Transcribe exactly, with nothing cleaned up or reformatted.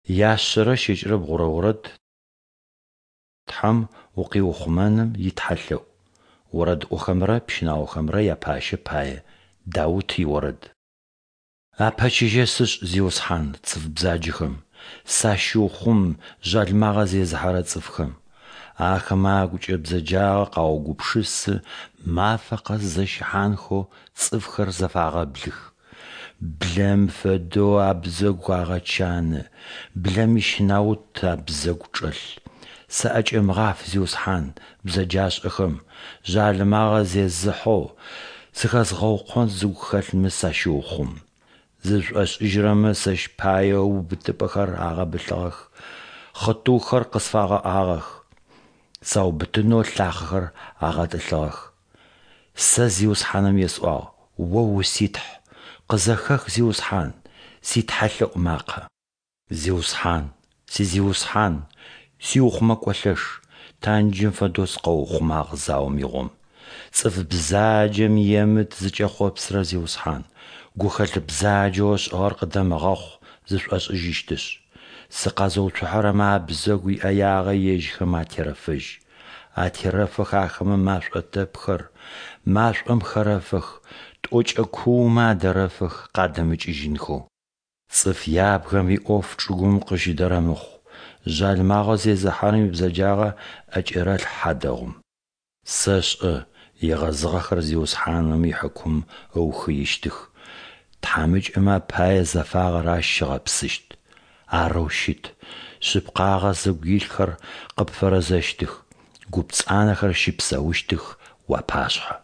Яшъэрэ щэкӏрэ бгъурэ орэд Тхьэм укъиухъумэным итхьэлъэӏу. Орэдыӏохэмрэ пщынаохэмрэ япащэ пае. Даут иорэд. Апэчыжьэ сышӏ, Зиусхьан, цӏыф бзаджэхэм, сащыухъум жъалымагъэ зезыхьэрэ цӏыфхэм. Ахэмэ агукӏэ бзэджагъэ къаугупшысы, мафэ къэс зэщыхьанхэу цӏыфхэр зэфагъэблых. Блэм фэдэу абзэгу агъэчаны, блэм ищэнаут абзэгу чӏэлъ. Саӏэкӏэмыгъаф, Зиусхьан, бзэджашӏэхэм, жъалымагъэ зезыхьэу, сыхэзгъэукъон зыгу хэлъмэ сащыухъум. Зызышӏошӏыжьырэмэ сэщ пае убытыпӏэхэр агъэбылъыгъэх, хъытыухэр къысфагъэӏагъэх, саубытынэу лъахъэхэр агъэтӏылъыгъэх. Сэ Зиусхьаным есӏуагъ: О у-си Тхь. Къызэхэх, Зиусхьан, ситхьэлъэӏу макъэ. Зиусхьан, си Зиусхьан, сиухъумэкӏо лъэш, танджым фэдэу сыкъэуухъумагъ заом игъом. Цӏыф бзаджэм иемыт зыкӏэхъопсырэр, Зиусхьан, гухэлъ бзаджэу ышӏыгъэр къыдэмыгъэхъу зышӏошӏыжьыщтышъ. Сыкъэзыуцухьэрэмэ абзэгу иӏэягъэ ежьхэм атерэфэжь. Атерэфэх ахэмэ машӏо тэпхэр, машӏом хэрэфэх, тӏокӏэ куумэ адэрэфэх къадэмыкӏыжьынхэу. Цӏыф ябгэм иӏоф чӏыгум къыщыдэрэмыхъу, жъалымагъэ зезыхьэрэм ибзэджагъэ ӏэкӏерэлъхь хьадэгъум. Сэшӏэ, егъэзыгъэхэр Зиусхьаным ихьыкум ыухыищтых, тхьамыкӏэмэ апае зэфагъэр Ащ ыгъэпсыщт. Арэу щыт, шъыпкъагъэ зыгу илъхэр къыпфэрэзэщтых, гупцӏанэхэр щыпсэущтых уапашъхьэ.